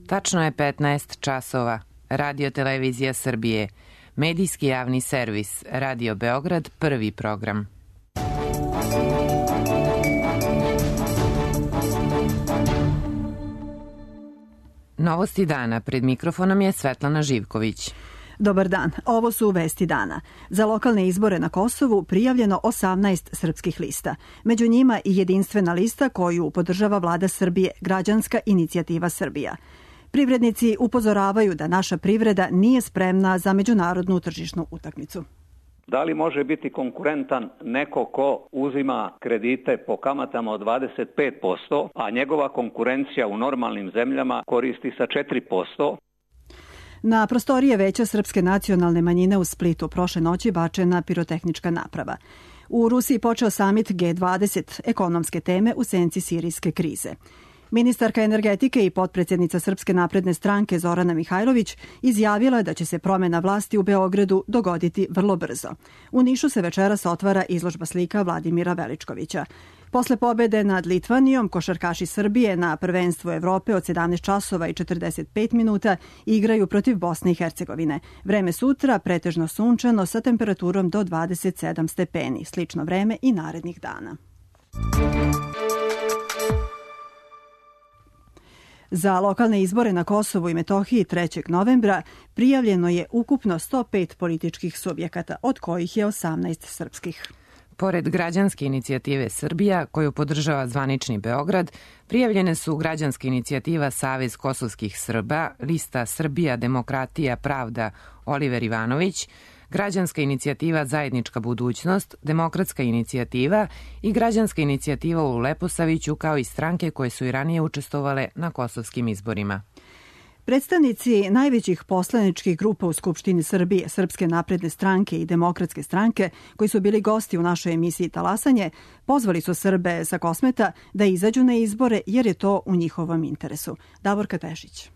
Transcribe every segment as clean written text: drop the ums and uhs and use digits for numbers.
Tačno je 15 časova. Radio Televizija Srbije. Medijski javni servis. Radio Beograd, prvi program. Novosti dana. Pred mikrofonom je Svetlana Živković. Dobar dan, ovo su vesti dana. Za lokalne izbore na Kosovu prijavljeno 18 srpskih lista. Među njima i jedinstvena lista koju podržava vlada Srbije, Građanska inicijativa Srbija. Privrednici upozoravaju da naša privreda nije spremna za međunarodnu tržišnu utakmicu. Da li može biti konkurentan neko ko uzima kredite po kamatama od 25%, a njegova konkurencija u normalnim zemljama koristi sa 4%? Na prostorije Veća srpske nacionalne manjine u Splitu prošle noći bačena pirotehnička naprava. U Rusiji počeo samit G20, ekonomske teme u senci sirijske krize. Ministarka energetike i potpredsjednica Srpske napredne stranke Zorana Mihajlović izjavila je da će se promjena vlasti u Beogradu dogoditi vrlo brzo. U Nišu se večeras otvara izložba slika Vladimira Veličkovića. Posle pobede nad Litvanijom, košarkaši Srbije na prvenstvu Evrope od 17 časova i 45 minuta igraju protiv Bosne i Hercegovine. Vreme sutra pretežno sunčano sa temperaturom do 27 stepeni. Slično vreme i narednih dana. Za lokalne izbore na Kosovu i Metohiji 3. novembra prijavljeno je ukupno 105 političkih subjekata, od kojih je 18 srpskih. Pored Građanske inicijative Srbija, koju podržava zvanični Beograd, prijavljene su Građanska inicijativa Savez kosovskih Srba, lista Srbija, demokratija, pravda Oliver Ivanović, Građanska inicijativa Zajednička budućnost, Demokratska inicijativa i Građanska inicijativa u Leposaviću, kao i stranke koje su i ranije učestvovale na kosovskim izborima. Predstavnici najvećih poslaničkih grupa u Skupštini Srbije, Srpske napredne stranke i Demokratske stranke, koji su bili gosti u našoj emisiji Talasanje, pozvali su Srbe sa Kosmeta da izađu na izbore jer je to u njihovom interesu. Davorka Tešić.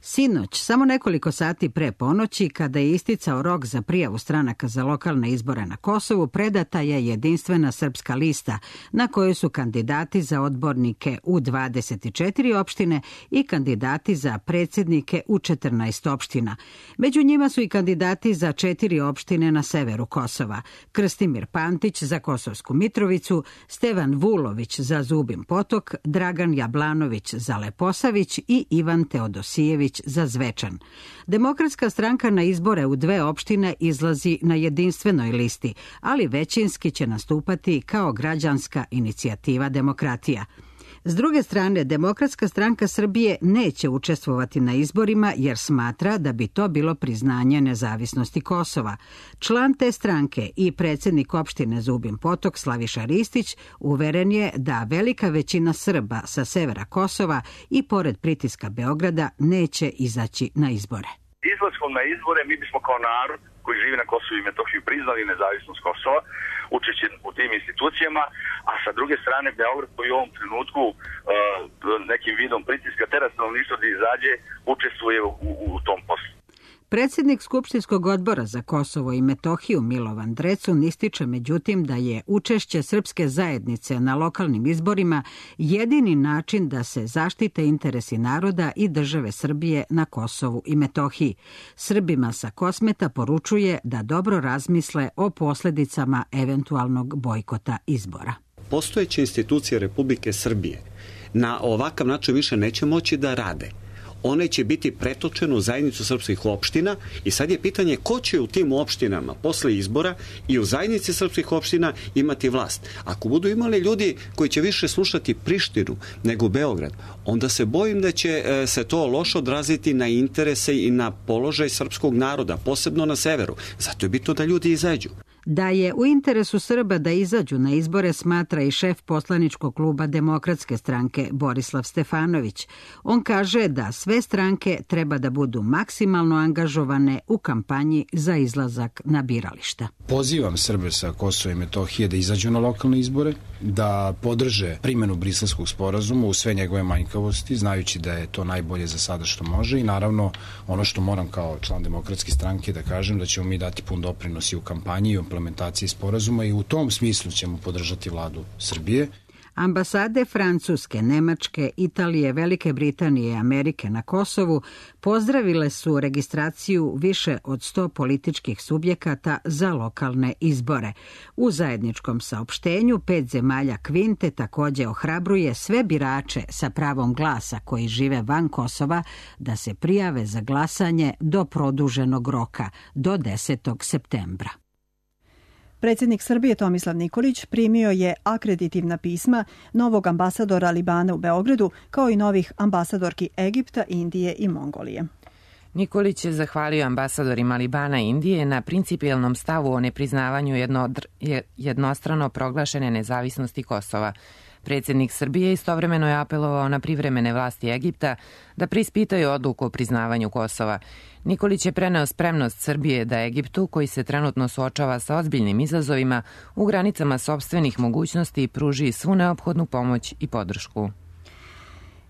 Sinoć, samo nekoliko sati pre ponoći, kada je isticao rok za prijavu stranaka za lokalne izbore na Kosovu, predata je jedinstvena srpska lista na kojoj su kandidati za odbornike u 24 opštine i kandidati za predsjednike u 14 opština. Među njima su i kandidati za 4 opštine na severu Kosova: Krstimir Pantić za Kosovsku Mitrovicu, Stevan Vulović za Zubin Potok, Dragan Jablanović za Leposavić i Ivan Teodosijević za Zvečan. Demokratska stranka na izbore u 2 opštine izlazi na jedinstvenoj listi, ali većinski će nastupati kao Građanska inicijativa Demokratija. S druge strane, Demokratska stranka Srbije neće učestvovati na izborima jer smatra da bi to bilo priznanje nezavisnosti Kosova. Član te stranke i predsjednik opštine Zubin Potok Slaviša Ristić uveren je da velika većina Srba sa severa Kosova i pored pritiska Beograda neće izaći na izbore. Izlaskom na izbore mi bismo kao narod koji živi na Kosovu i Metohiji priznali nezavisnost Kosova, učeći u tim institucijama, a sa druge strane Beograd koji u ovom trenutku nekim vidom pritiska tera stanovništva da izađe, učestvuje u tom poslu. Predsjednik Skupštinskog odbora za Kosovo i Metohiju Milovan Drecun ističe međutim da je učešće srpske zajednice na lokalnim izborima jedini način da se zaštite interesi naroda i države Srbije na Kosovu i Metohiji. Srbima sa Kosmeta poručuje da dobro razmisle o posljedicama eventualnog bojkota izbora. Postojeće institucije Republike Srbije na ovakav način više neće moći da rade. One će biti pretočene u zajednicu srpskih opština i sad je pitanje ko će u tim opštinama posle izbora i u zajednici srpskih opština imati vlast. Ako budu imali ljudi koji će više slušati Prištinu nego Beograd, onda se bojim da će se to loše odraziti na interese i na položaj srpskog naroda, posebno na severu. Zato je bitno da ljudi izađu. Da je u interesu Srba da izađu na izbore smatra i šef poslaničkog kluba Demokratske stranke Borislav Stefanović. On kaže da sve stranke treba da budu maksimalno angažovane u kampanji za izlazak na birališta. Pozivam Srbe sa Kosova i Metohije da izađu na lokalne izbore, da podrže primjenu Briselskog sporazuma u sve njegove manjkavosti, znajući da je to najbolje za sada što može i naravno ono što moram kao član Demokratske stranke da kažem da ćemo mi dati pun doprinos i u kampanji i u implementaciji sporazuma i u tom smislu ćemo podržati vladu Srbije. Ambasade Francuske, Nemačke, Italije, Velike Britanije i Amerike na Kosovu pozdravile su registraciju više od 100 političkih subjekata za lokalne izbore. U zajedničkom saopštenju 5 zemalja Kvinte takođe ohrabruje sve birače sa pravom glasa koji žive van Kosova da se prijave za glasanje do produženog roka, do 10. septembra. Predsjednik Srbije Tomislav Nikolić primio je akreditivna pisma novog ambasadora Libana u Beogradu, kao i novih ambasadorki Egipta, Indije i Mongolije. Nikolić je zahvalio ambasadorima Libana i Indije na principijelnom stavu o nepriznavanju jednostrano proglašene nezavisnosti Kosova. Predsjednik Srbije istovremeno je apelovao na privremene vlasti Egipta da preispitaju odluku o priznavanju Kosova. Nikolić je preneo spremnost Srbije da Egiptu, koji se trenutno suočava sa ozbiljnim izazovima, u granicama sopstvenih mogućnosti pruži svu neophodnu pomoć i podršku.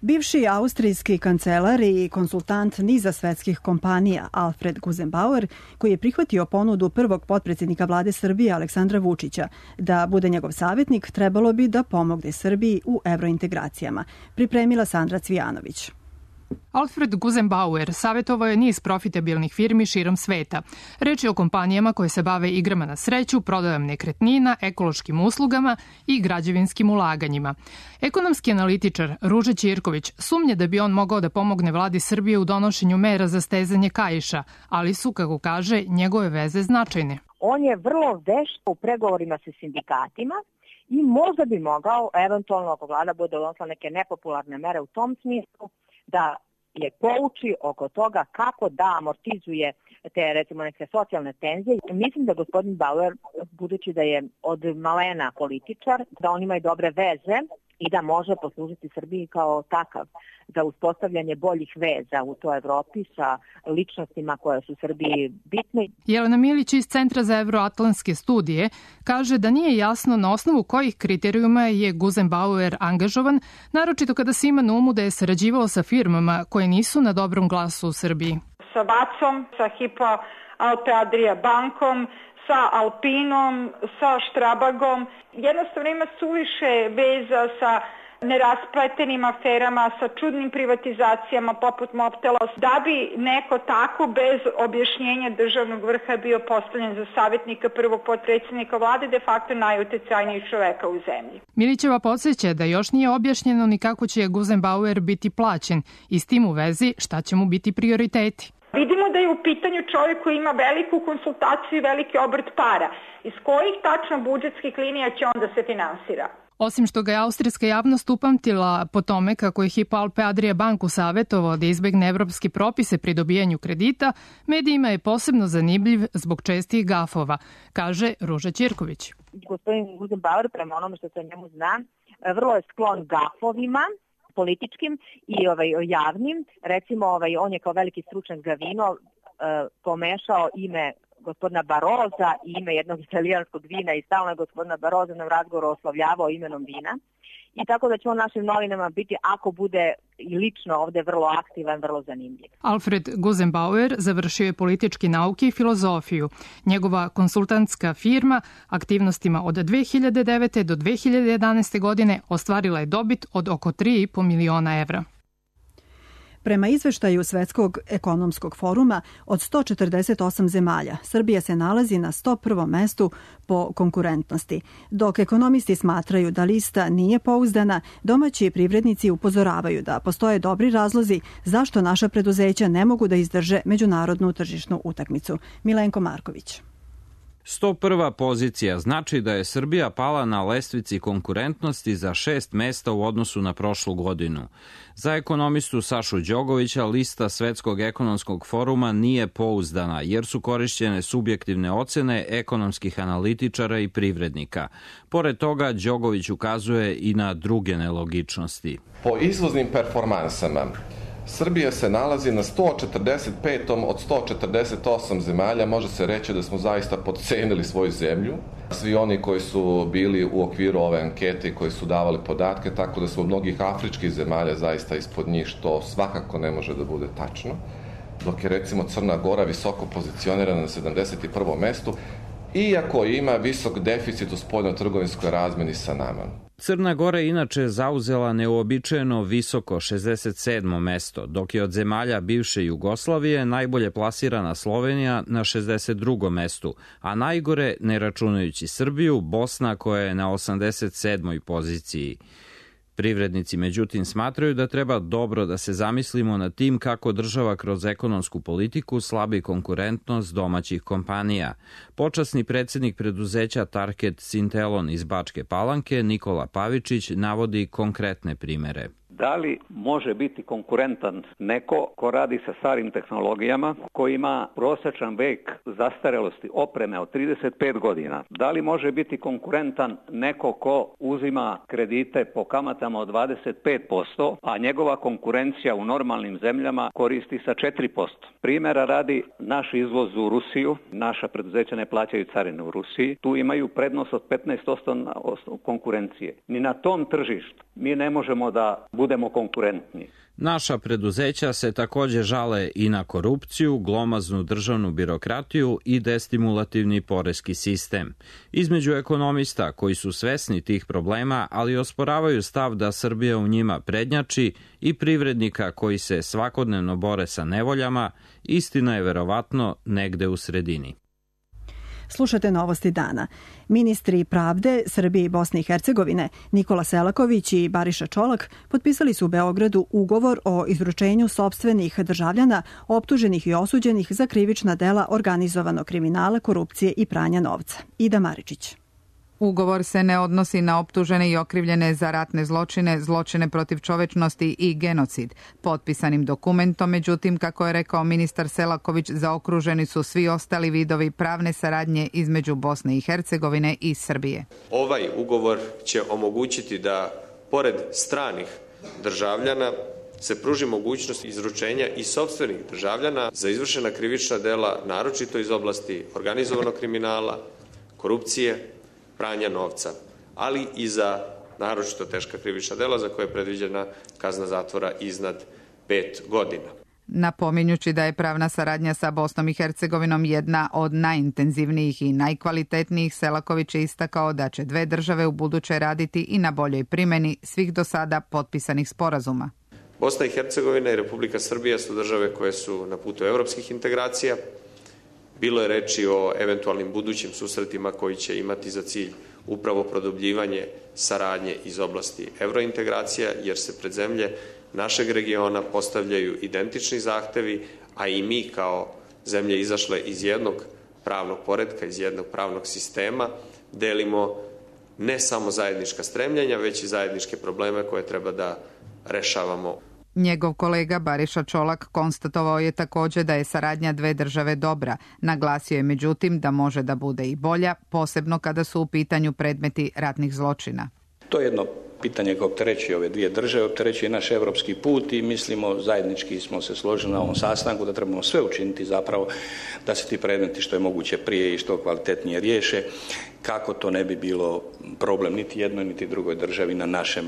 Bivši austrijski kancelar i konsultant niza svetskih kompanija Alfred Gusenbauer, koji je prihvatio ponudu prvog potpredsjednika vlade Srbije Aleksandra Vučića da bude njegov savjetnik, trebalo bi da pomogne Srbiji u evrointegracijama, pripremila Sandra Cvijanović. Alfred Gusenbauer savjetovao je niz profitabilnih firmi širom sveta. Reč je o kompanijama koje se bave igrama na sreću, prodajom nekretnina, ekološkim uslugama i građevinskim ulaganjima. Ekonomski analitičar Ruža Ćirković sumnje da bi on mogao da pomogne vladi Srbije u donošenju mera za stezanje kaiša, ali su, kako kaže, njegove veze značajne. On je vrlo vešt u pregovorima sa sindikatima i možda bi mogao, eventualno ako vlada bude donosila neke nepopularne mere u tom smislu, da je pouči oko toga kako da amortizuje te, recimo, neke socijalne tenzije. Mislim da gospodin Bauer, budući da je od malena političar, da on ima i dobre veze i da može poslužiti Srbiji kao takav za uspostavljanje boljih veza u toj Evropi sa ličnostima koje su Srbiji bitne. Jelena Milić iz Centra za evroatlantske studije kaže da nije jasno na osnovu kojih kriterijuma je Gusenbauer angažovan, naročito kada se ima na umu da je sarađivao sa firmama koje nisu na dobrom glasu u Srbiji. Sa Vacom, sa Hypo Alpe Adria bankom, sa Alpinom, sa Strabagom. Jednostavno ima suviše veza sa neraspletenim aferama, sa čudnim privatizacijama poput Moptelos, da bi neko tako bez objašnjenja državnog vrha bio postavljen za savjetnika prvog potpredsjednika vlade, de facto najuticajnijeg čoveka u zemlji. Milićeva podsjeća da još nije objašnjeno ni kako će Gusenbauer biti plaćen i s tim u vezi šta će mu biti prioriteti. Vidimo da je u pitanju čovjek koji ima veliku konsultaciju i veliki obrt para. Iz kojih tačno budžetskih linija će on da se finansira? Osim što ga je austrijska javnost upamtila po tome kako je Hypo Alpe Adria banku savjetovao da izbegne evropske propise pri dobijanju kredita, medijima je posebno zanimljiv zbog čestih gafova, kaže Ruža Ćirković. Gospodin Gusenbauer, prema onome što se o njemu zna, vrlo je sklon gafovima, političkim i javnim. Recimo, on je kao veliki stručnjak za vino pomešao ime gospodina Baroza i ime jednog italijanskog vina i stalno je gospodina Baroza na razgovoru oslovljavao imenom vina. I tako da će on našim novinama biti, ako bude i lično ovde vrlo aktivan, vrlo zanimljiv. Alfred Gusenbauer završio je političke nauke i filozofiju. Njegova konsultantska firma aktivnostima od 2009. do 2011. godine ostvarila je dobit od oko 3,5 miliona evra. Prema izveštaju Svetskog ekonomskog foruma, od 148 zemalja, Srbija se nalazi na 101. mestu po konkurentnosti. Dok ekonomisti smatraju da lista nije pouzdana, domaći privrednici upozoravaju da postoje dobri razlozi zašto naša preduzeća ne mogu da izdrže međunarodnu tržišnu utakmicu. Milenko Marković. 101. pozicija znači da je Srbija pala na lestvici konkurentnosti za 6 mesta u odnosu na prošlu godinu. Za ekonomistu Sašu Đogovića lista Svetskog ekonomskog foruma nije pouzdana jer su korišćene subjektivne ocene ekonomskih analitičara i privrednika. Pored toga, Đogović ukazuje i na druge nelogičnosti. Po izvoznim performansama Srbija se nalazi na 145. od 148 zemalja. Može se reći da smo zaista podcenili svoju zemlju. Svi oni koji su bili u okviru ove ankete i koji su davali podatke, tako da smo mnogih afričkih zemalja zaista ispod njih, što svakako ne može da bude tačno. Dok je recimo Crna Gora visoko pozicionirana na 71. mestu iako ima visok deficit u spoljno-trgovinskoj razmeni sa nama. Crna Gora je inače zauzela neuobičajeno visoko 67. mesto, dok je od zemalja bivše Jugoslavije najbolje plasirana Slovenija na 62. mestu, a najgore, ne računajući Srbiju, Bosna koja je na 87. poziciji. Privrednici, međutim, smatraju da treba dobro da se zamislimo nad tim kako država kroz ekonomsku politiku slabi konkurentnost domaćih kompanija. Počasni predsjednik preduzeća Target Sintelon iz Bačke Palanke, Nikola Pavičić, navodi konkretne primere. Da li može biti konkurentan neko ko radi sa starim tehnologijama, ko ima prosječan vek zastarelosti opreme od 35 godina? Da li može biti konkurentan neko ko uzima kredite po kamatama od 25%, a njegova konkurencija u normalnim zemljama koristi sa 4%? Primjera radi, naš izvoz u Rusiju, naša preduzeća ne plaćaju carine u Rusiji, tu imaju prednost od 15% na osnovu konkurencije. Ni na tom tržištu mi ne možemo da budemo konkurentni. Naša preduzeća se takođe žale i na korupciju, glomaznu državnu birokratiju i destimulativni poreski sistem. Između ekonomista koji su svesni tih problema, ali osporavaju stav da Srbija u njima prednjači, i privrednika koji se svakodnevno bore sa nevoljama, istina je verovatno negde u sredini. Slušate Novosti dana. Ministri pravde Srbije i Bosne i Hercegovine Nikola Selaković i Bariša Čolak potpisali su u Beogradu ugovor o izručenju sopstvenih državljana optuženih i osuđenih za krivična dela organizovanog kriminala, korupcije i pranja novca. Ida Maričić. Ugovor se ne odnosi na optužene i okrivljene za ratne zločine, zločine protiv čovečnosti i genocid. Potpisanim dokumentom, međutim, kako je rekao ministar Selaković, zaokruženi su svi ostali vidovi pravne saradnje između Bosne i Hercegovine i Srbije. Ovaj ugovor će omogućiti da, pored stranih državljana, se pruži mogućnost izručenja i sopstvenih državljana za izvršena krivična dela, naročito iz oblasti organizovanog kriminala, korupcije, pranja novca, ali i za naročito teška krivična dela za koje je predviđena kazna zatvora iznad 5 godina. Napominjući da je pravna saradnja sa Bosnom i Hercegovinom jedna od najintenzivnijih i najkvalitetnijih, Selaković je istakao da će dve države u buduće raditi i na boljoj primjeni svih do sada potpisanih sporazuma. Bosna i Hercegovina i Republika Srbija su države koje su na putu evropskih integracija. Bilo je reči o eventualnim budućim susretima koji će imati za cilj upravo produbljivanje saradnje iz oblasti evrointegracija, jer se pred zemlje našeg regiona postavljaju identični zahtevi, a i mi kao zemlje izašle iz jednog pravnog poretka, iz jednog pravnog sistema, delimo ne samo zajednička stremljenja, već i zajedničke probleme koje treba da rešavamo. Njegov kolega Bariša Čolak konstatovao je također da je saradnja dve države dobra. Naglasio je međutim da može da bude i bolja, posebno kada su u pitanju predmeti ratnih zločina. To je jedno pitanje koje opterećuje ove dvije države, opterećuje naš evropski put i mislimo, zajednički smo se složili na ovom sastanku da trebamo sve učiniti zapravo da se ti predmeti što je moguće prije i što kvalitetnije riješe, kako to ne bi bilo problem niti jednoj niti drugoj državi na našem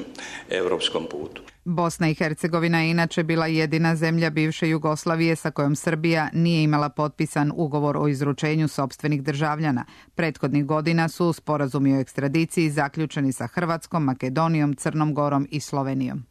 evropskom putu. Bosna i Hercegovina je inače bila jedina zemlja bivše Jugoslavije sa kojom Srbija nije imala potpisan ugovor o izručenju sopstvenih državljana. Prethodnih godina su sporazumi o ekstradiciji zaključeni sa Hrvatskom, Makedonijom, Crnom Gorom i Slovenijom.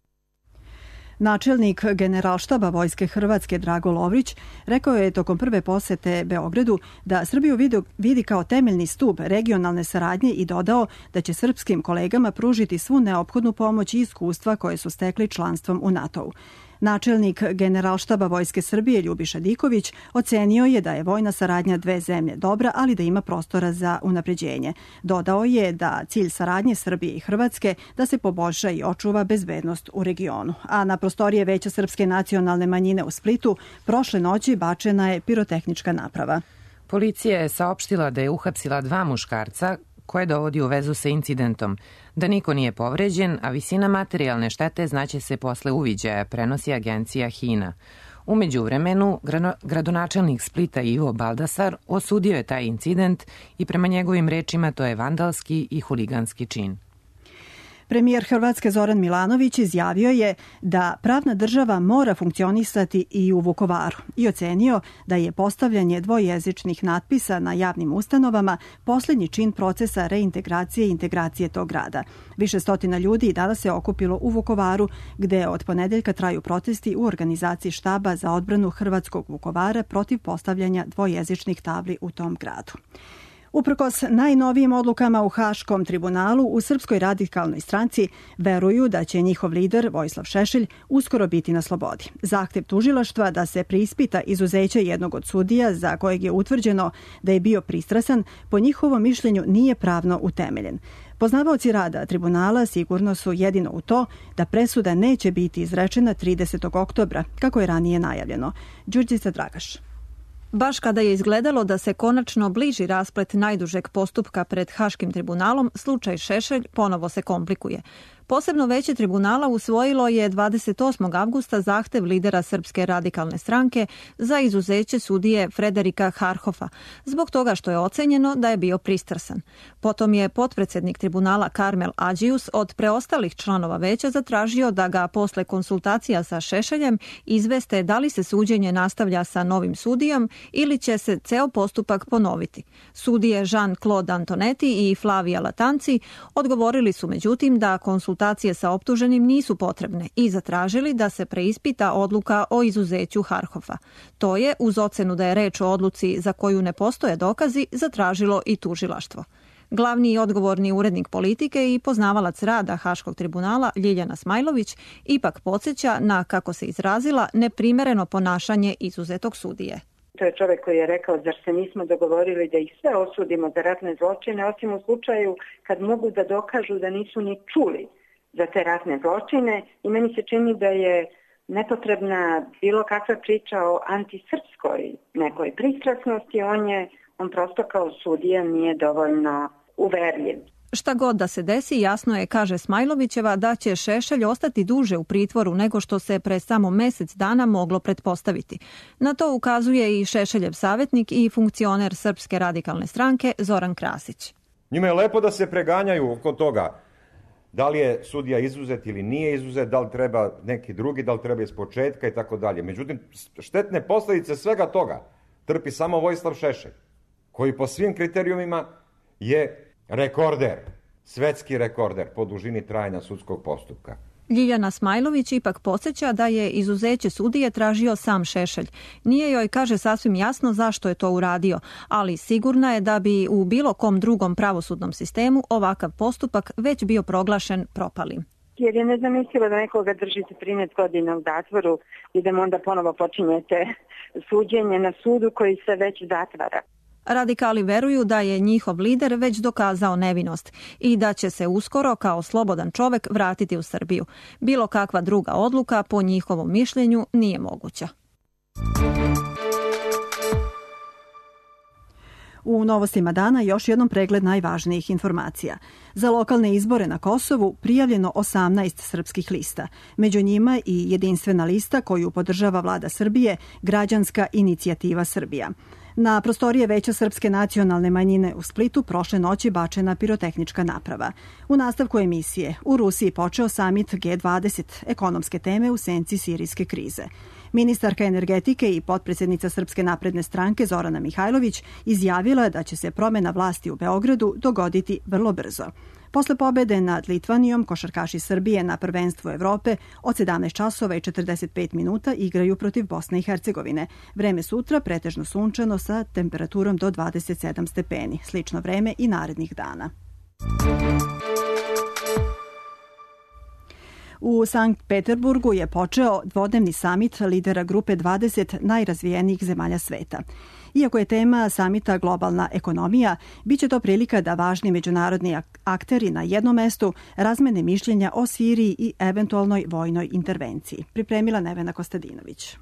Načelnik Generalštaba Vojske Hrvatske Drago Lovrić rekao je tokom prve posete Beogradu da Srbiju vidi kao temeljni stup regionalne saradnje i dodao da će srpskim kolegama pružiti svu neophodnu pomoć i iskustva koje su stekli članstvom u NATO-u. Načelnik Generalštaba Vojske Srbije Ljubiša Diković ocenio je da je vojna saradnja dve zemlje dobra, ali da ima prostora za unapređenje. Dodao je da cilj saradnje Srbije i Hrvatske da se poboljša i očuva bezbednost u regionu. A na prostorije Veća srpske nacionalne manjine u Splitu prošle noći bačena je pirotehnička naprava. Policija je saopštila da je uhapsila 2 muškarca koje dovodi u vezu sa incidentom, da niko nije povređen, a visina materijalne štete znaće se posle uviđaja, prenosi agencija HINA. U međuvremenu, gradonačelnik Splita Ivo Baldasar osudio je taj incident i prema njegovim rečima to je vandalski i huliganski čin. Premijer Hrvatske Zoran Milanović izjavio je da pravna država mora funkcionisati i u Vukovaru i ocenio da je postavljanje dvojezičnih natpisa na javnim ustanovama posljednji čin procesa reintegracije i integracije tog grada. Više stotina ljudi danas se okupilo u Vukovaru, gde od ponedeljka traju protesti u organizaciji štaba za odbranu hrvatskog Vukovara protiv postavljanja dvojezičnih tabli u tom gradu. Uprkos najnovijim odlukama u Haškom tribunalu, u Srpskoj radikalnoj stranci veruju da će njihov lider Vojislav Šešelj uskoro biti na slobodi. Zahtev tužilaštva da se preispita izuzeće jednog od sudija za kojeg je utvrđeno da je bio pristrasan, po njihovom mišljenju nije pravno utemeljen. Poznavaoci rada tribunala sigurno su jedino u to da presuda neće biti izrečena 30. oktobra, kako je ranije najavljeno. Đurđica Dragaš. Baš kada je izgledalo da se konačno bliži rasplet najdužeg postupka pred Haškim tribunalom, slučaj Šešelj ponovo se komplikuje. Posebno veće tribunala usvojilo je 28. avgusta zahtev lidera Srpske radikalne stranke za izuzeće sudije Frederika Harhofa, zbog toga što je ocenjeno da je bio pristrasan. Potom je potpredsednik tribunala Karmel Adžius od preostalih članova veća zatražio da ga posle konsultacija sa Šešeljem izveste da li se suđenje nastavlja sa novim sudijom ili će se ceo postupak ponoviti. Sudije Jean-Claude Antonetti i Flavia Latanci odgovorili su međutim da konsultacije sa optuženim nisu potrebne i zatražili da se preispita odluka o izuzeću Harhofa. To je, uz ocenu da je reč o odluci za koju ne postoje dokazi, zatražilo i tužilaštvo. Glavni i odgovorni urednik politike i poznavalac rada Haškog tribunala Ljiljana Smajlović ipak podsjeća na, kako se izrazila, neprimereno ponašanje izuzetog sudije. To je čovjek koji je rekao, zar se nismo dogovorili da ih sve osudimo za ratne zločine, osim u slučaju kad mogu da dokažu da nisu ni čuli za te ratne zločine, i meni se čini da je nepotrebna bilo kakva priča o antisrpskoj nekoj pristrasnosti, on prosto kao sudija nije dovoljno uverljiv. Šta god da se desi, jasno je, kaže Smajlovićeva, da će Šešelj ostati duže u pritvoru nego što se pre samo mesec dana moglo pretpostaviti. Na to ukazuje i Šešeljev savjetnik i funkcioner Srpske radikalne stranke Zoran Krasić. Njima je lepo da se preganjaju oko toga da li je sudija izuzet ili nije izuzet, da li treba neki drugi, da li treba iz početka i tako dalje. Međutim, štetne posljedice svega toga trpi samo Vojislav Šešelj, koji po svim kriterijumima je rekorder, svetski rekorder po dužini trajanja sudskog postupka. Ljiljana Smajlović ipak podsjeća da je izuzeće sudije tražio sam Šešelj. Nije joj, kaže, sasvim jasno zašto je to uradio, ali sigurna je da bi u bilo kom drugom pravosudnom sistemu ovakav postupak već bio proglašen propalim. Jer je nezamislivo da nekoga držite 13 godina u zatvoru i da mu onda ponovo počinjete suđenje na sudu koji se već zatvara. Radikali veruju da je njihov lider već dokazao nevinost i da će se uskoro kao slobodan čovek vratiti u Srbiju. Bilo kakva druga odluka, po njihovom mišljenju, nije moguća. U novostima dana još jednom pregled najvažnijih informacija. Za lokalne izbore na Kosovu prijavljeno 18 srpskih lista. Među njima i jedinstvena lista koju podržava vlada Srbije, Građanska inicijativa Srbija. Na prostorije Veća Srpske nacionalne manjine u Splitu prošle noći bačena pirotehnička naprava. U nastavku emisije u Rusiji počeo samit G20, ekonomske teme u senci sirijske krize. Ministarka energetike i potpredsjednica Srpske napredne stranke Zorana Mihajlović izjavila je da će se promjena vlasti u Beogradu dogoditi vrlo brzo. Posle pobede nad Litvanijom, košarkaši Srbije na prvenstvu Evrope od 17 časova i 45 minuta igraju protiv Bosne i Hercegovine. Vreme sutra pretežno sunčano sa temperaturom do 27 stepeni. Slično vreme i narednih dana. U Sankt Peterburgu je počeo dvodnevni samit lidera grupe 20 najrazvijenijih zemalja sveta. Iako je tema samita globalna ekonomija, bit će to prilika da važni međunarodni akteri na jednom mestu razmene mišljenja o Siriji i eventualnoj vojnoj intervenciji. Pripremila Nevena Kostadinović.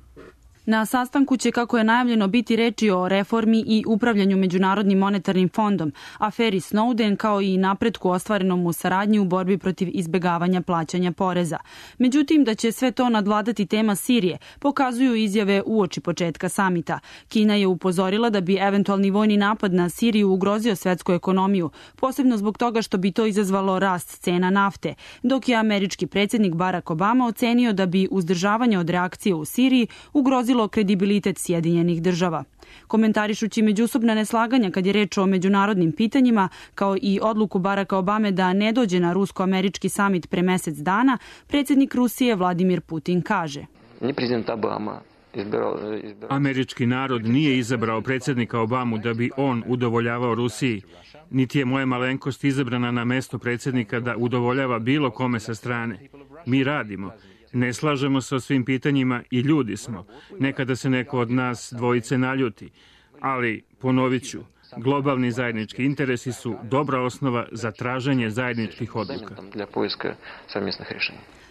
Na sastanku će, kako je najavljeno, biti reči o reformi i upravljanju Međunarodnim monetarnim fondom, aferi Snowden, kao i napretku ostvarenom u saradnji u borbi protiv izbegavanja plaćanja poreza. Međutim, da će sve to nadvladati tema Sirije, pokazuju izjave uoči početka samita. Kina je upozorila da bi eventualni vojni napad na Siriju ugrozio svetsku ekonomiju, posebno zbog toga što bi to izazvalo rast cena nafte, dok je američki predsjednik Barack Obama ocenio da bi uzdržavanje od reakcije u Siriji ugrozilo kredibilitet Sjedinjenih država. Komentarišući međusobna neslaganja kad je reč o međunarodnim pitanjima, kao i odluku Baracka Obame da ne dođe na rusko-američki samit pre mesec dana, predsjednik Rusije Vladimir Putin kaže: Američki narod nije izabrao predsjednika Obamu da bi on udovoljavao Rusiji, niti je moja malenkost izabrana na mesto predsjednika da udovoljava bilo kome sa strane. Mi radimo. Ne slažemo se o svim pitanjima i ljudi smo. Nekada se neko od nas dvojice naljuti. Ali, ponovit ću, globalni zajednički interesi su dobra osnova za traženje zajedničkih odluka.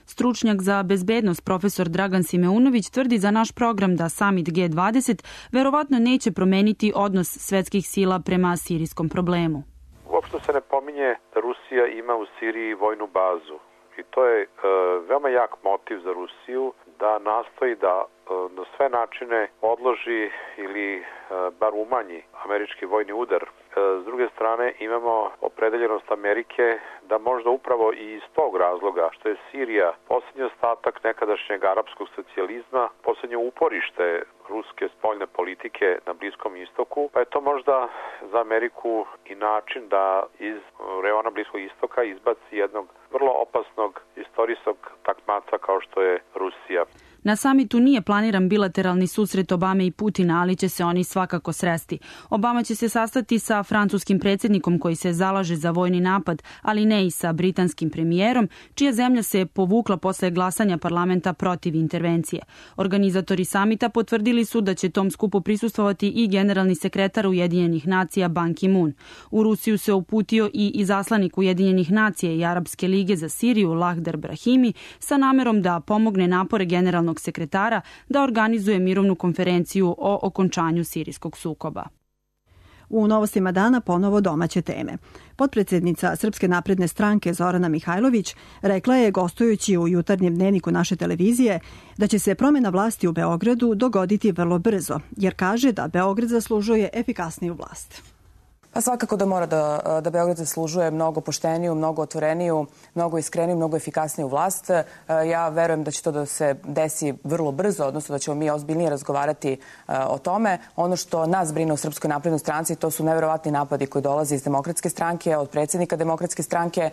Stručnjak za bezbednost profesor Dragan Simeunović tvrdi za naš program da samit G20 verovatno neće promeniti odnos svetskih sila prema sirijskom problemu. Uopšte se ne pominje da Rusija ima u Siriji vojnu bazu. I to je veoma jak motiv za Rusiju da nastoji da na sve načine odloži ili bar umanji američki vojni udar. S druge strane imamo opredeljenost Amerike da možda upravo i iz tog razloga što je Sirija posljednji ostatak nekadašnjeg arapskog socijalizma, posljednje uporište ruske spoljne politike na Bliskom istoku, pa je to možda za Ameriku i način da iz reona Bliskog istoka izbaci jednog vrlo opasnog istorijskog takmaca kao što je Rusija. Na samitu nije planiran bilateralni susret Obame i Putina, ali će se oni svakako sresti. Obama će se sastati sa francuskim predsjednikom koji se zalaže za vojni napad, ali ne i sa britanskim premijerom, čija zemlja se povukla posle glasanja parlamenta protiv intervencije. Organizatori samita potvrdili su da će tom skupu prisustvovati i generalni sekretar Ujedinjenih nacija Ban Ki-moon. U Rusiju se uputio i izaslanik Ujedinjenih nacija i Arapske lige za Siriju Lahdar Brahimi sa namerom da pomogne napore generalnog sekretara da organizuje mirovnu konferenciju o okončanju sirijskog sukoba. U novostima dana ponovo domaće teme. Potpredsjednica Srpske napredne stranke Zorana Mihajlović rekla je, gostujući u jutarnjem dnevniku naše televizije, da će se promjena vlasti u Beogradu dogoditi vrlo brzo, jer kaže da Beograd zaslužuje efikasniju vlast. Pa svakako da mora da Beograd zaslužuje mnogo pošteniju, mnogo otvoreniju, mnogo iskreniju, mnogo efikasniju vlast. Ja verujem da će to da se desi vrlo brzo, odnosno da ćemo mi ozbiljnije razgovarati o tome. Ono što nas brine u Srpskoj naprednoj stranci, to su neverovatni napadi koji dolaze iz Demokratske stranke, od predsjednika Demokratske stranke.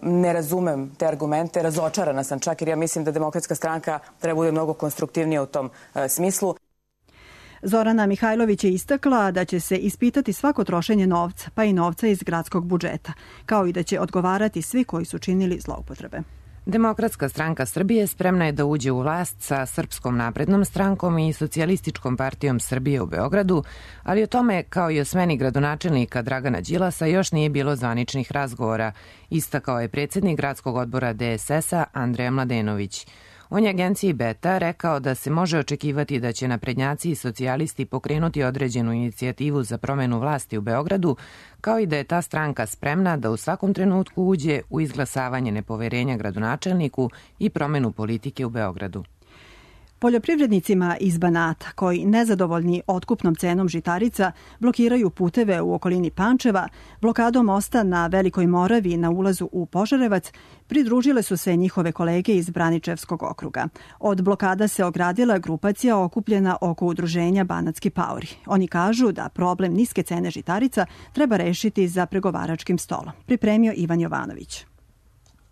Ne razumem te argumente, razočarana sam čak, jer ja mislim da Demokratska stranka treba bude mnogo konstruktivnija u tom smislu. Zorana Mihajlović je istakla da će se ispitati svako trošenje novca, pa i novca iz gradskog budžeta, kao i da će odgovarati svi koji su činili zloupotrebe. Demokratska stranka Srbije spremna je da uđe u vlast sa Srpskom naprednom strankom i Socijalističkom partijom Srbije u Beogradu, ali o tome, kao i o smeni gradonačelnika Dragana Đilasa, još nije bilo zvaničnih razgovora, istakao je predsjednik gradskog odbora DSS-a Andreja Mladenović. On je agenciji Beta rekao da se može očekivati da će naprednjaci i socijalisti pokrenuti određenu inicijativu za promjenu vlasti u Beogradu, kao i da je ta stranka spremna da u svakom trenutku uđe u izglasavanje nepoverenja gradonačelniku i promjenu politike u Beogradu. Poljoprivrednicima iz Banata, koji nezadovoljni otkupnom cenom žitarica blokiraju puteve u okolini Pančeva, blokadom mosta na Velikoj Moravi na ulazu u Požarevac, pridružile su se njihove kolege iz Braničevskog okruga. Od blokada se ogradila grupacija okupljena oko udruženja Banatski paori. Oni kažu da problem niske cene žitarica treba rešiti za pregovaračkim stolom. Pripremio Ivan Jovanović.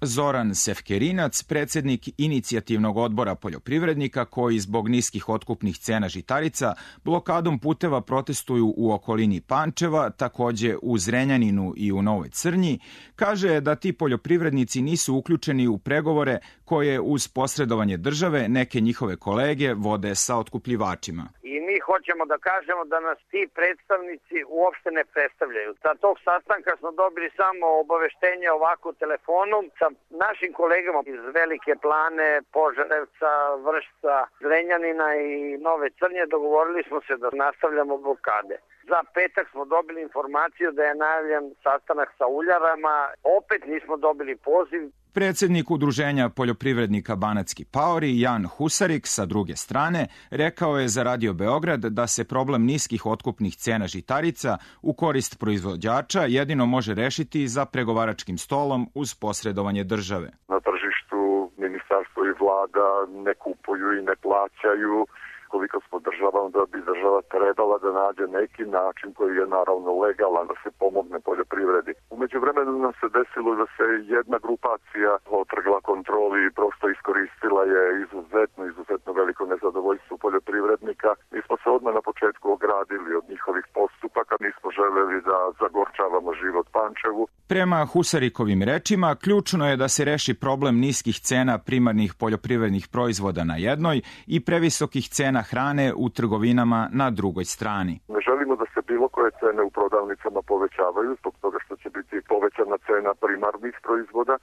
Zoran Sefkerinac, predsjednik inicijativnog odbora poljoprivrednika koji zbog niskih otkupnih cena žitarica blokadom puteva protestuju u okolini Pančeva, takođe u Zrenjaninu i u Novoj Crnji, kaže da ti poljoprivrednici nisu uključeni u pregovore koje uz posredovanje države neke njihove kolege vode sa otkupljivačima. I mi hoćemo da kažemo da nas ti predstavnici uopšte ne predstavljaju. Sa tog sastanka smo dobili samo obaveštenje ovako telefonom sa našim kolegama iz Velike Plane, Požarevca, Vršca, Zrenjanina i Nove Crnje. Dogovorili smo se da nastavljamo blokade. Za petak smo dobili informaciju da je najavljen sastanak sa uljarama. Opet nismo dobili poziv. Predsednik Udruženja poljoprivrednika Banatski paori, Jan Husarik, sa druge strane, rekao je za Radio Beograd da se problem niskih otkupnih cena žitarica u korist proizvođača jedino može rešiti za pregovaračkim stolom uz posredovanje države. Na tržištu ministarstvo i vlada ne kupuju i ne plaćaju. Koliko smo država, onda bi država trebala da nađe neki način koji je naravno legalan da se pomogne poljoprivredi. Umeđu vremenu nam se desilo da se jedna grupacija otrgla kontroli i prosto iskoristila je izuzetno veliko nezadovoljstvo poljoprivrednika. Mi smo se odmah na početku ogradili od njihovih postupaka, nismo želeli da zagorčavamo život Pančevu. Prema Husarikovim rečima, ključno je da se reši problem niskih cena primarnih poljoprivrednih proizvoda na jednoj i previsokih cena hrane u trgovinama na drugoj strani. Ne želimo da se bilo koje cene u prodavnicama povećavaju zbog toga što će biti povećana cena primarnih proizvoda,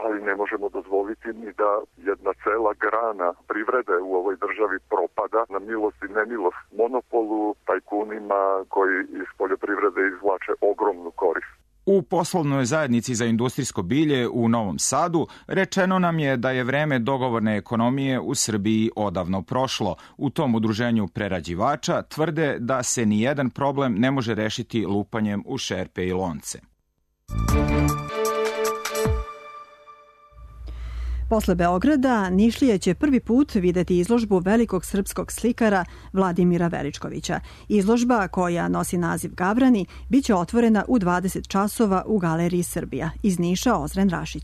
ali ne možemo dozvoliti ni da jedna cela grana privrede u ovoj državi propada na milost i nemilost monopolu, tajkunima koji iz poljoprivrede izvlače ogromnu korist. U poslovnoj zajednici za industrijsko bilje u Novom Sadu rečeno nam je da je vreme dogovorne ekonomije u Srbiji odavno prošlo. U tom udruženju prerađivača tvrde da se ni jedan problem ne može rešiti lupanjem u šerpe i lonce. Posle Beograda, Nišlije će prvi put videti izložbu velikog srpskog slikara Vladimira Veličkovića. Izložba, koja nosi naziv Gavrani, biće otvorena u 20 časova u Galeriji Srbija. Iz Niša Ozren Rašić.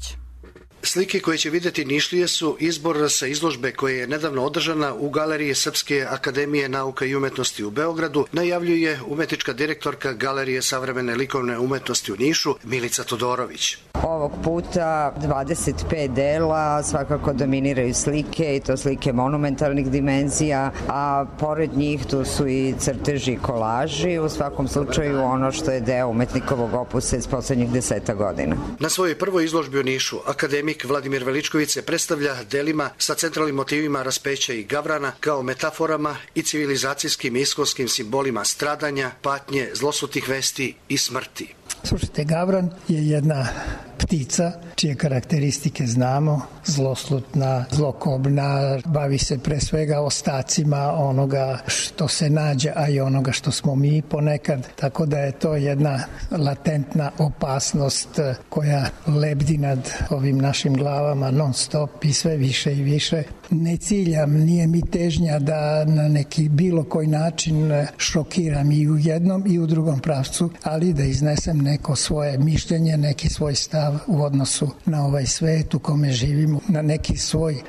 Slike koje će videti Nišlije su izbor sa izložbe koja je nedavno održana u Galeriji Srpske akademije nauka i umetnosti u Beogradu, najavljuje umetnička direktorka Galerije savremene likovne umetnosti u Nišu, Milica Todorović. Ovog puta 25 dela, svakako dominiraju slike i to slike monumentalnih dimenzija, a pored njih tu su i crteži i kolaži, u svakom slučaju ono što je deo umetnikovog opusa iz poslednjih 10 godina. Na svojoj prvoj izložbi u Nišu, akademik Vladimir Veličković se predstavlja delima sa centralnim motivima raspeća i gavrana kao metaforama i civilizacijskim i iskonskim simbolima stradanja, patnje, zlosutih vesti i smrti. Slušajte, gavran je jedna ptica čije karakteristike znamo, zloslutna, zlokobna, bavi se pre svega ostacima onoga što se nađe, a i onoga što smo mi ponekad, tako da je to jedna latentna opasnost koja lebdi nad ovim našim glavama non stop i sve više i više. Ne ciljam, nije mi težnja da na neki bilo koji način šokiram i u jednom i u drugom pravcu, ali da iznesem neko svoje mišljenje, neki svoj stav u odnosu na ovaj svet u kome živimo, na neki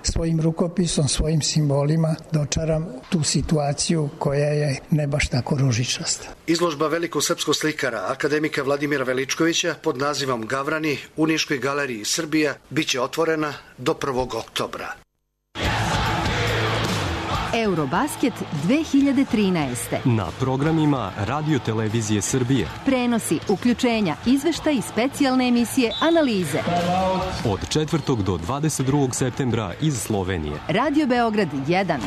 svojim rukopisom, svojim simbolima dočaram tu situaciju koja je ne baš tako ružičasta. Izložba velikog srpskog slikara, akademika Vladimira Veličkovića pod nazivom Gavrani u Niškoj galeriji Srbija biće otvorena do 1. oktobra. Eurobasket 2013. Na programima Radio Televizije Srbije. Prenosi, uključenja, izveštaj i specijalne emisije, analize. Od 4. do 22. septembra iz Slovenije. Radio Beograd 1.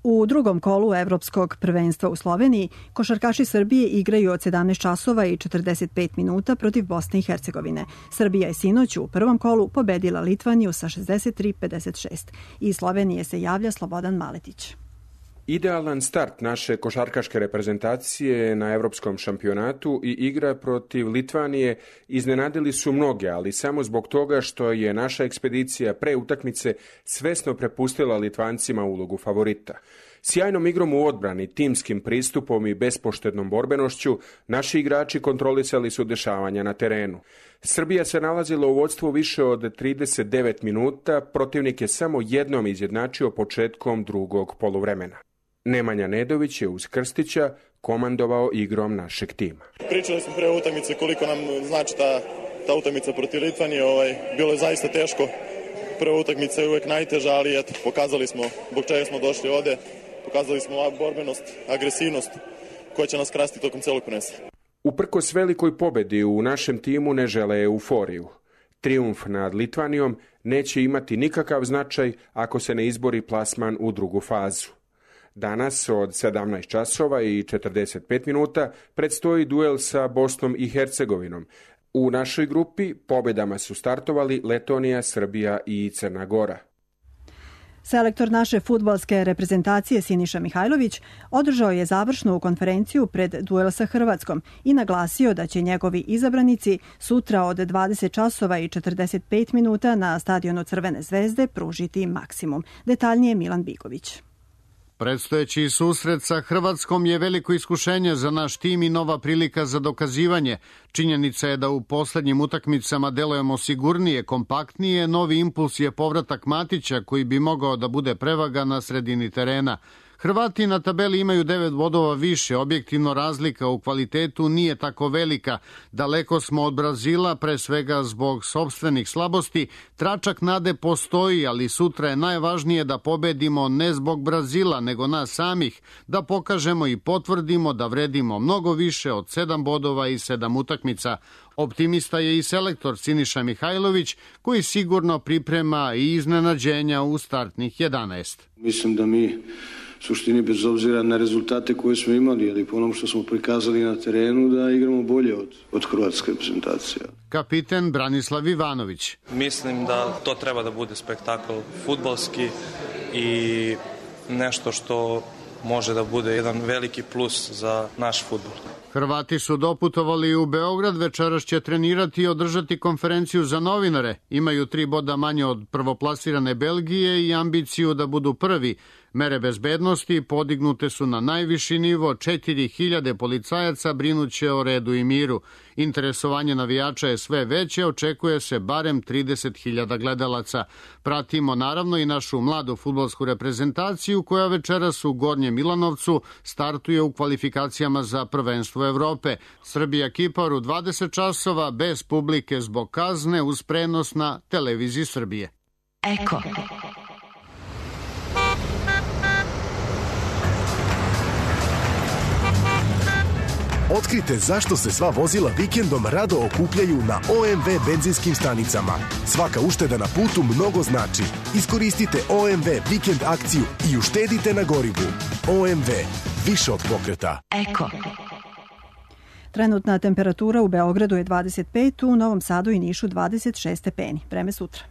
U drugom kolu Evropskog prvenstva u Sloveniji košarkaši Srbije igraju od 17 časova i 45 minuta protiv Bosne i Hercegovine. Srbija je sinoć u prvom kolu pobedila Litvaniju sa 63-56. Iz Slovenije se javlja Slobodan Maletić. Idealan start naše košarkaške reprezentacije na evropskom šampionatu i igra protiv Litvanije iznenadili su mnoge, ali samo zbog toga što je naša ekspedicija pre utakmice svesno prepustila Litvancima ulogu favorita. Sjajnom igrom u odbrani, timskim pristupom i bespoštednom borbenošću, naši igrači kontrolisali su dešavanja na terenu. Srbija se nalazila u vodstvu više od 39 minuta, protivnik je samo jednom izjednačio početkom drugog poluvremena. Nemanja Nedović je uz Krstića komandovao igrom našeg tima. Pričali smo pre utakmice koliko nam znači ta utakmica protiv Litvanije. Bilo je zaista teško Prva utakmica je uvek najteža, ali eto, pokazali smo zbog čega smo došli ovde, pokazali smo borbenost, agresivnost koja će nas krasti tokom celog prvenstva. Uprkos velikoj pobedi u našem timu ne žele euforiju. Trijumf nad Litvanijom neće imati nikakav značaj ako se ne izbori plasman u drugu fazu. Danas od 17 časova i 45 minuta predstoji duel sa Bosnom i Hercegovinom. U našoj grupi pobedama su startovali Letonija, Srbija i Crna Gora. Selektor naše fudbalske reprezentacije Siniša Mihajlović održao je završnu konferenciju pred duel sa Hrvatskom i naglasio da će njegovi izabranici sutra od 20 časova i 45 minuta na stadionu Crvene zvezde pružiti maksimum. Detaljnije Milan Bigović. Predstojeći susret sa Hrvatskom je veliko iskušenje za naš tim i nova prilika za dokazivanje. Činjenica je da u poslednjim utakmicama delujemo sigurnije, kompaktnije. Novi impuls je povratak Matića koji bi mogao da bude prevaga na sredini terena. Hrvati na tabeli imaju 9 bodova više, objektivno razlika u kvalitetu nije tako velika. Daleko smo od Brazila, pre svega zbog sopstvenih slabosti. Tračak nade postoji, ali sutra je najvažnije da pobedimo ne zbog Brazila, nego nas samih, da pokažemo i potvrdimo da vredimo mnogo više od 7 bodova i 7 utakmica. Optimista je i selektor Siniša Mihajlović, koji sigurno priprema i iznenađenja u startnih 11. Mislim da mi suštini bez obzira na rezultate koje smo imali, ali po onom što smo prikazali na terenu, da igramo bolje od hrvatske reprezentacije. Kapiten Branislav Ivanović. Mislim da to treba da bude spektakl fudbalski i nešto što može da bude jedan veliki plus za naš fudbal. Hrvati su doputovali u Beograd, večeras će trenirati i održati konferenciju za novinare. Imaju 3 boda manje od prvoplasirane Belgije i ambiciju da budu prvi. Mere bezbednosti podignute su na najviši nivo, 4000 policajaca brinuće o redu i miru. Interesovanje navijača je sve veće, očekuje se barem 30.000 gledalaca. Pratimo naravno i našu mladu fudbalsku reprezentaciju koja večeras u Gornjem Milanovcu startuje u kvalifikacijama za prvenstvo Evrope. Srbija Kipar u 20 časova bez publike zbog kazne uz prenos na televiziji Srbije. Eko. Otkrite zašto se sva vozila vikendom rado okupljaju na OMV benzinskim stanicama. Svaka ušteda na putu mnogo znači. Iskoristite OMV vikend akciju i uštedite na gorivu. OMV, više od pokreta. Eko. Trenutna temperatura u Beogradu je 25, u Novom Sadu i Nišu 26 stepeni. Vreme sutra.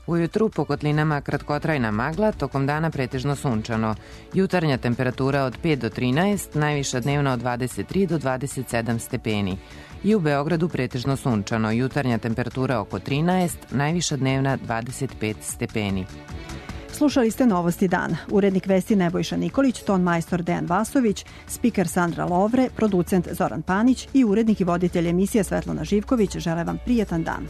Ujutru po kotlinama kratkotrajna magla, tokom dana pretežno sunčano. Jutarnja temperatura od 5 do 13, najviša dnevna od 23 do 27 stepeni. I u Beogradu pretežno sunčano, jutarnja temperatura oko 13, najviša dnevna 25 stepeni. Slušali ste Novosti dana. Urednik vesti Nebojša Nikolić, ton majstor Dejan Vasović, spiker Sandra Lovre, producent Zoran Panić i urednik i voditelj emisije Svetlana Živković žele vam prijetan dan.